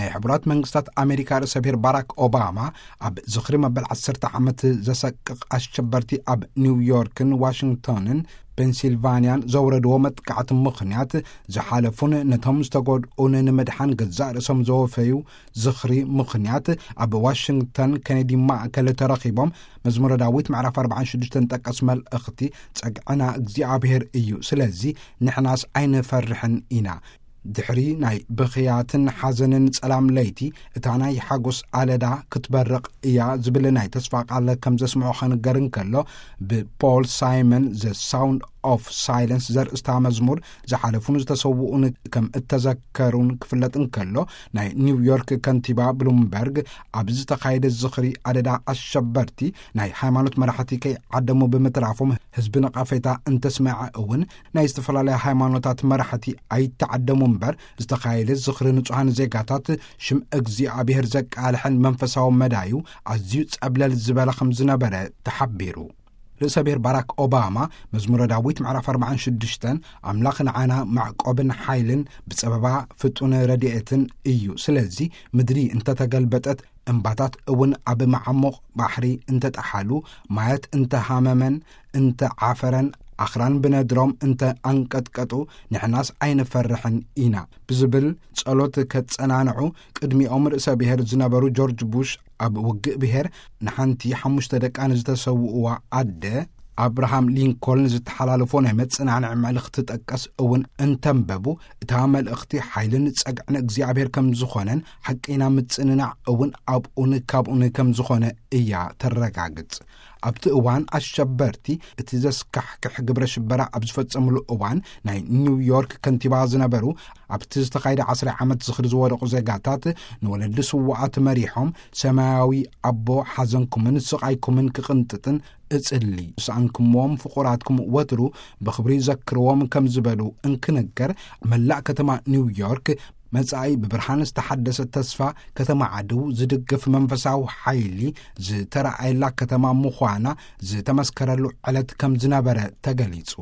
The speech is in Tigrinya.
ናይ ሕቡራት መንግስታት ኣሜሪካ ርእሰ ብሔር ባራክ ኦባማ፣ ኣብ ዝኽሪ መበል ዓሰርተ ዓመት ዘሰቅቕ ኣሸበርቲ ኣብ ኒውዮርክን ዋሽንግቶንን ፔንሲልቫንያን ዘውረድዎ መጥቃዕቲ ምኽንያት፣ ዝሓለፉን ነቶም ዝተጎድኡን ንምድሓን ገዛእ ርእሶም ዘወፈዩ ዝኽሪ ምኽንያት፣ ኣብ ዋሽንግተን ኬኔዲ ማእከል ተረኺቦም፣ መዝሙረ ዳዊት ምዕራፍ ኣርባዓን ሽዱሽተን ጠቀስ መልእኽቲ፣ "ጸግዕና እግዚኣብሔር እዩ፣ ስለዚ ንሕናስ ኣይንፈርሕን ኢና። ድሕሪ ናይ ብኽያትን ሓዘንን ጸላም ለይቲ፣ እታ ናይ ሓጎስ ኣለዳ ክትበርቕ እያ" ዝብል ናይ ተስፋ ቃል ከም ዘስምዖ ከንገር እንከሎ፣ ብፖል ሳይመን ዘ ሳውንድ ኦፍ ሳይለንስ ዘርእስታ መዝሙር፣ ዝሓለፉን ዝተሰውኡን ከም እተዘከሩን ክፍለጥ እንከሎ፣ ናይ ኒውዮርክ ከንቲባ ብሉምበርግ፣ ኣብ ዝተኻየደ ዝኽሪ ኣደዳ ኣሸበርቲ፣ ናይ ሃይማኖት መራሕቲ ከይዓደሙ ብምትራፎም፣ ህዝቢ ነቐፌታ እንተስመዐ እውን፣ ናይ ዝተፈላለያ ሃይማኖታት መራሕቲ ኣይተዓደሙ እምበር፣ ዝተኻየደ ዝኽሪ ንጹሃን ዜጋታት ሽም እግዚኣብሔር ዘቃልሐን መንፈሳዊ መዳዩ ኣዝዩ ጸብለል ዝበለ ከም ዝነበረ ተሓቢሩ። ርእሰ ብሔር ባራክ ኦባማ፣ መዝሙረ ዳዊት ምዕራፍ ኣርባዓን ሽዱሽተን፣ "ኣምላኽ ንዓና ማዕቆብን ሓይልን ብጸበባ ፍጡን ረድኤትን እዩ። ስለዚ ምድሪ እንተተገልበጠት፣ እምባታት እውን ኣብ መዓሙቕ ባሕሪ እንተጠሓሉ፣ ማያት እንተሃመመን እንተዓፈረን፣ ኣኽራን ብነድሮም እንተ ኣንቀጥቀጡ፣ ንሕናስ ኣይንፈርሕን ኢና" ብዝብል ጸሎት ከጸናንዑ፣ ቅድሚኦም ርእሰ ብሔር ዝነበሩ ጆርጅ ቡሽ፣ ኣብ ውግእ ብሔር ንሓንቲ ሓሙሽተ ደቃ ንዝተሰውእዋ ኣደ ኣብርሃም ሊንኮልን ዝተሓላለፎ ናይ መጽናንዒ መልእኽቲ ጠቀስ እውን እንተንበቡ፣ እታ መልእኽቲ ሓይልን ጸግዕን እግዚኣብሔር ከም ዝኾነን ሓቀይና ምጽንናዕ እውን ኣብኡን ካብኡን ከም ዝኾነ እያ ተረጋግጽ። ኣብቲ እዋን ኣሸበርቲ እቲ ዘስካሕክሕ ግብረ ሽበራ ኣብ ዝፈጸምሉ እዋን፣ ናይ ኒውዮርክ ከንቲባ ዝነበሩ፣ ኣብቲ ዝተኻየደ ዓስራ ዓመት ዝኽሪ ዝወደቑ ዜጋታት ንወለዲ ስዉኣት መሪሖም፣ "ሰማያዊ ኣቦ ሓዘንኩምን ስቓይኩምን ክቕንጥጥን እጽሊ፣ ዝሰኣንኩምዎም ፍቑራትኩም ወትሩ ብኽብሪ ዘክርዎም" ከም ዝበሉ እንክንገር፣ መላእ ከተማ ኒውዮርክ መጻኢ ብብርሃን ዝተሓደሰ ተስፋ ከተማ ዓድው ዝድግፍ መንፈሳዊ ሓይሊ ዝተረኣየላ ከተማ ምዃና ዝተመስከረሉ ዕለት ከም ዝነበረ ተገሊጹ።